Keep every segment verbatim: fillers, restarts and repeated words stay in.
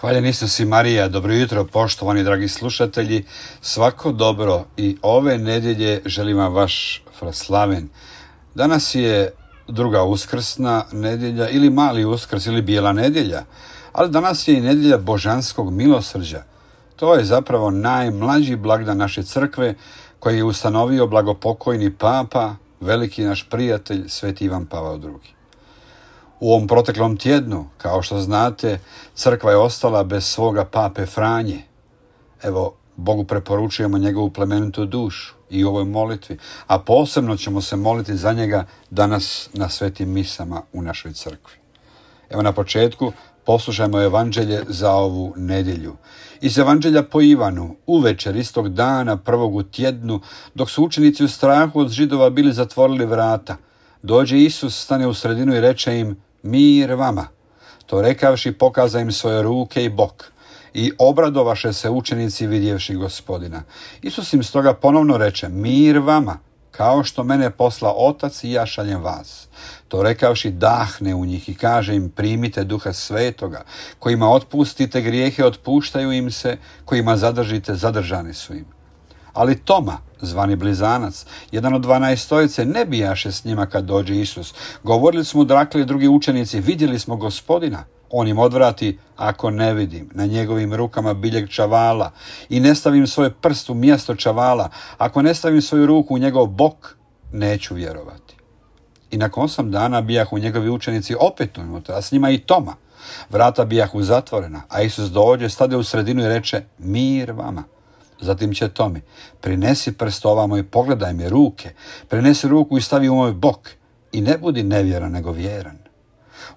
Hvaljen Isus i Marija, dobro jutro poštovani dragi slušatelji, svako dobro i ove nedjelje želim vam vaš slaven. Danas je druga uskrsna nedjelja ili mali uskrs ili bijela nedjelja, ali danas je i nedjelja božanskog milosrđa. To je zapravo najmlađi blagdan naše crkve koji je ustanovio blagopokojni papa, veliki naš prijatelj, sveti Ivan Pavao drugi. U ovom proteklom tjednu, kao što znate, crkva je ostala bez svoga pape Franje. Evo, Bogu preporučujemo njegovu plemenitu dušu i u ovoj molitvi, a posebno ćemo se moliti za njega danas na svetim misama u našoj crkvi. Evo na početku poslušajmo evanđelje za ovu nedjelju. Iz evanđelja po Ivanu, uvečer istog dana prvog u tjednu, dok su učenici u strahu od Židova bili zatvorili vrata, dođe Isus, stane u sredinu i reče im: mir vama. To rekavši, pokaza im svoje ruke i bok. I obradovaše se učenici vidjevši Gospodina. Isus im stoga ponovno reče: mir vama, kao što mene posla Otac i ja šaljem vas. To rekavši, dahne u njih i kaže im: primite Duha Svetoga. Kojima otpustite grijehe, otpuštaju im se, kojima zadržite, zadržani su im. Ali Toma, zvani Blizanac, jedan od dvanaestojice, ne bijaše s njima kad dođe Isus. Govorili su mu dakle drugi učenici: vidjeli smo Gospodina. On im odvrati: ako ne vidim na njegovim rukama biljeg čavala i ne stavim svoj prst u mjesto čavala, ako ne stavim svoju ruku u njegov bok, neću vjerovati. I nakon osam dana bijahu njegovi učenici opet unutra, a s njima i Toma. Vrata bijahu zatvorena, a Isus dođe, stade u sredinu i reče: mir vama. Zatim će Tomi: prinesi prst ovamo i pogledaj mi ruke, prinesi ruku i stavi u moj bok i ne budi nevjeran nego vjeran.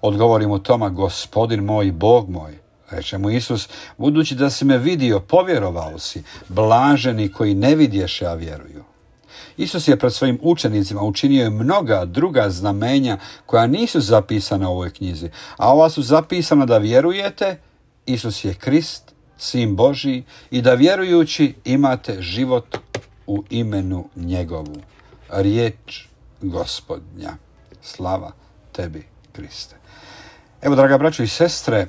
Odgovori mu Toma: Gospodin moj i Bog moj. Reče mu Isus: budući da si me vidio, povjerovao si, blaženi koji ne vidješe, a vjeruju. Isus je pred svojim učenicima učinio je mnoga druga znamenja koja nisu zapisana u ovoj knjizi, a ova su zapisana da vjerujete Isus je Krist, Sin Božji, i da vjerujući imate život u imenu njegovu. Riječ Gospodnja. Slava tebi, Kriste. Evo, draga braćo i sestre,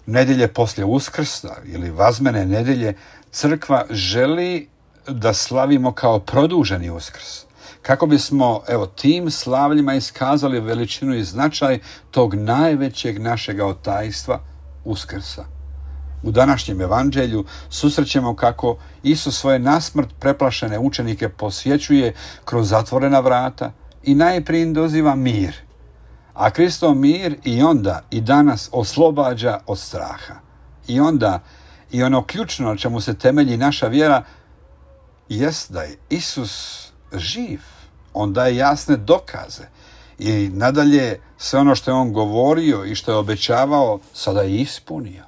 nedjelje poslije Uskrsa ili vazmene nedjelje, crkva želi da slavimo kao produženi Uskrs, kako bismo evo tim slavljima iskazali veličinu i značaj tog najvećeg našega otajstva, Uskrsa. U današnjem evanđelju susrećemo kako Isus svoje nasmrt preplašene učenike posjećuje kroz zatvorena vrata i najprije im doziva mir. A Kristov mir i onda i danas oslobađa od straha. I onda i ono ključno na čemu se temelji naša vjera jest da je Isus živ. On daje jasne dokaze i nadalje sve ono što je on govorio i što je obećavao sada je ispunio.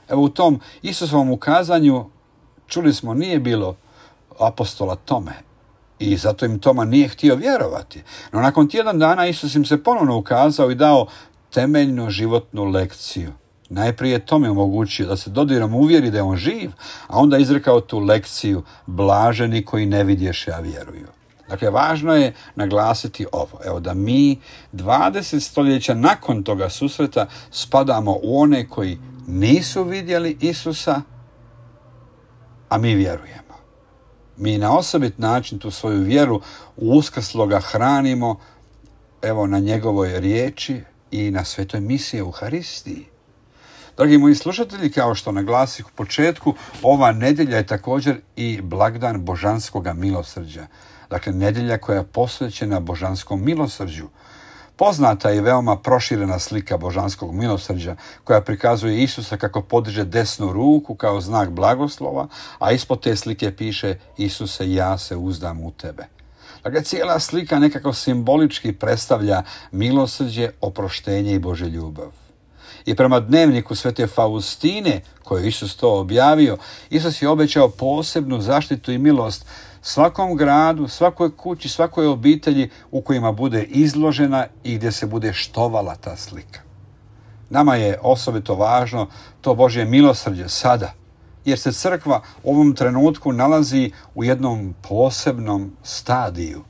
Evo u tom Isusovom ukazanju, čuli smo, nije bilo apostola Tome i zato im Toma nije htio vjerovati. No nakon tjedan dana Isus im se ponovno ukazao i dao temeljnu životnu lekciju. Najprije je Tome omogućio da se dodirom uvjeri da je on živ, a onda izrekao tu lekciju: blaženi koji ne vidješe, a vjeruju. Dakle, važno je naglasiti ovo, evo da mi dvadeset stoljeća nakon toga susreta spadamo u one koji nisu vidjeli Isusa, a mi vjerujemo. Mi na osobit način tu svoju vjeru u uskrsloga hranimo evo na njegovoj riječi i na svetoj misiji Euharistiji. Dragi moji slušatelji, kao što naglasih u početku, ova nedjelja je također i blagdan božanskoga milosrđa. Dakle, nedjelja koja je posvećena božanskom milosrđu. Poznata je i veoma proširena slika božanskog milosrđa koja prikazuje Isusa kako podiže desnu ruku kao znak blagoslova, a ispod te slike piše: Isuse, ja se uzdam u tebe. Dakle, cijela slika nekako simbolički predstavlja milosrđe, oproštenje i Božju ljubav. I prema dnevniku svete Faustine, koju je Isus to objavio, Isus je obećao posebnu zaštitu i milost svakom gradu, svakoj kući, svakoj obitelji u kojima bude izložena i gdje se bude štovala ta slika. Nama je osobito važno to Božje milosrđe sada, jer se crkva u ovom trenutku nalazi u jednom posebnom stadiju.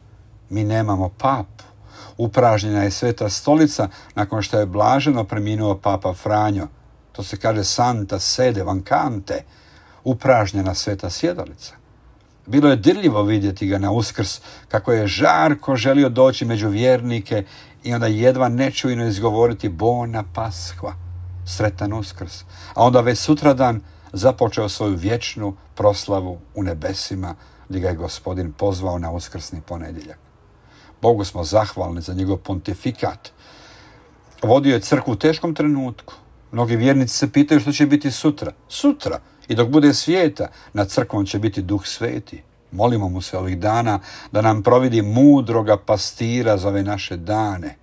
Mi nemamo papu. Upražnjena je Sveta stolica nakon što je blaženo preminuo papa Franjo. To se kaže santa sede vancante, upražnjena sveta sjedalica. Bilo je dirljivo vidjeti ga na Uskrs, kako je žarko želio doći među vjernike i onda jedva nečujno izgovoriti bona Paskva, sretan Uskrs. A onda već sutradan započeo svoju vječnu proslavu u nebesima, gdje ga je Gospodin pozvao na uskrsni ponedjeljak. Bogu smo zahvalni za njegov pontifikat. Vodio je crkvu u teškom trenutku. Mnogi vjernici se pitaju što će biti sutra. Sutra, i dok bude svijeta, nad crkvom će biti Duh Sveti. Molimo mu se ovih dana da nam providi mudroga pastira za ove naše dane.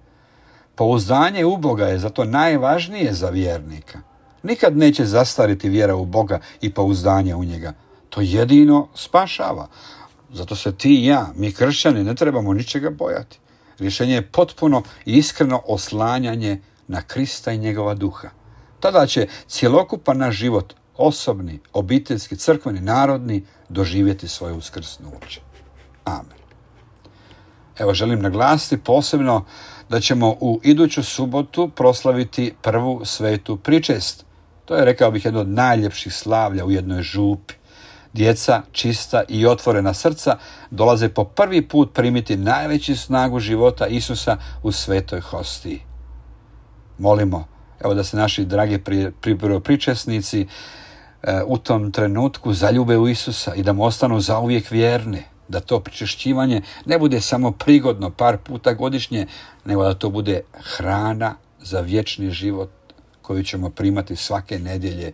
Pouzdanje u Boga je zato najvažnije za vjernika. Nikad neće zastariti vjera u Boga i pouzdanje u njega. To jedino spašava. Zato se ti i ja, mi kršćani, ne trebamo ničega bojati. Rješenje je potpuno i iskreno oslanjanje na Krista i njegova duha. Tada će cjelokupan naš život, osobni, obiteljski, crkveni, narodni, doživjeti svoje uskrsnuće. Amen. Evo, želim naglasiti posebno da ćemo u iduću subotu proslaviti prvu svetu pričest. To je, rekao bih, jedno od najljepših slavlja u jednoj župi. Djeca, čista i otvorena srca, dolaze po prvi put primiti najveću snagu života Isusa u svetoj hostiji. Molimo, evo, da se naši dragi pri, pri, pričesnici e, u tom trenutku zaljube u Isusa i da mu ostanu zauvijek vjerni, da to pričešćivanje ne bude samo prigodno par puta godišnje, nego da to bude hrana za vječni život koju ćemo primati svake nedjelje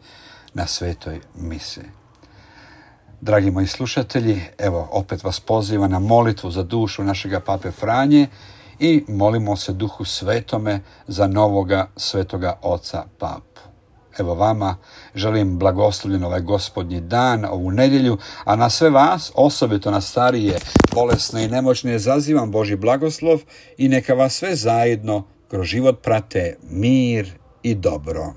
na svetoj mise. Dragi moji slušatelji, evo opet vas pozivam na molitvu za dušu našega pape Franje i molimo se Duhu Svetome za novoga svetoga oca papu. Evo vama želim blagoslovljen ovaj gospodnji dan, ovu nedjelju, a na sve vas, osobito na starije, bolesne i nemoćne, zazivam Božji blagoslov i neka vas sve zajedno kroz život prate mir i dobro.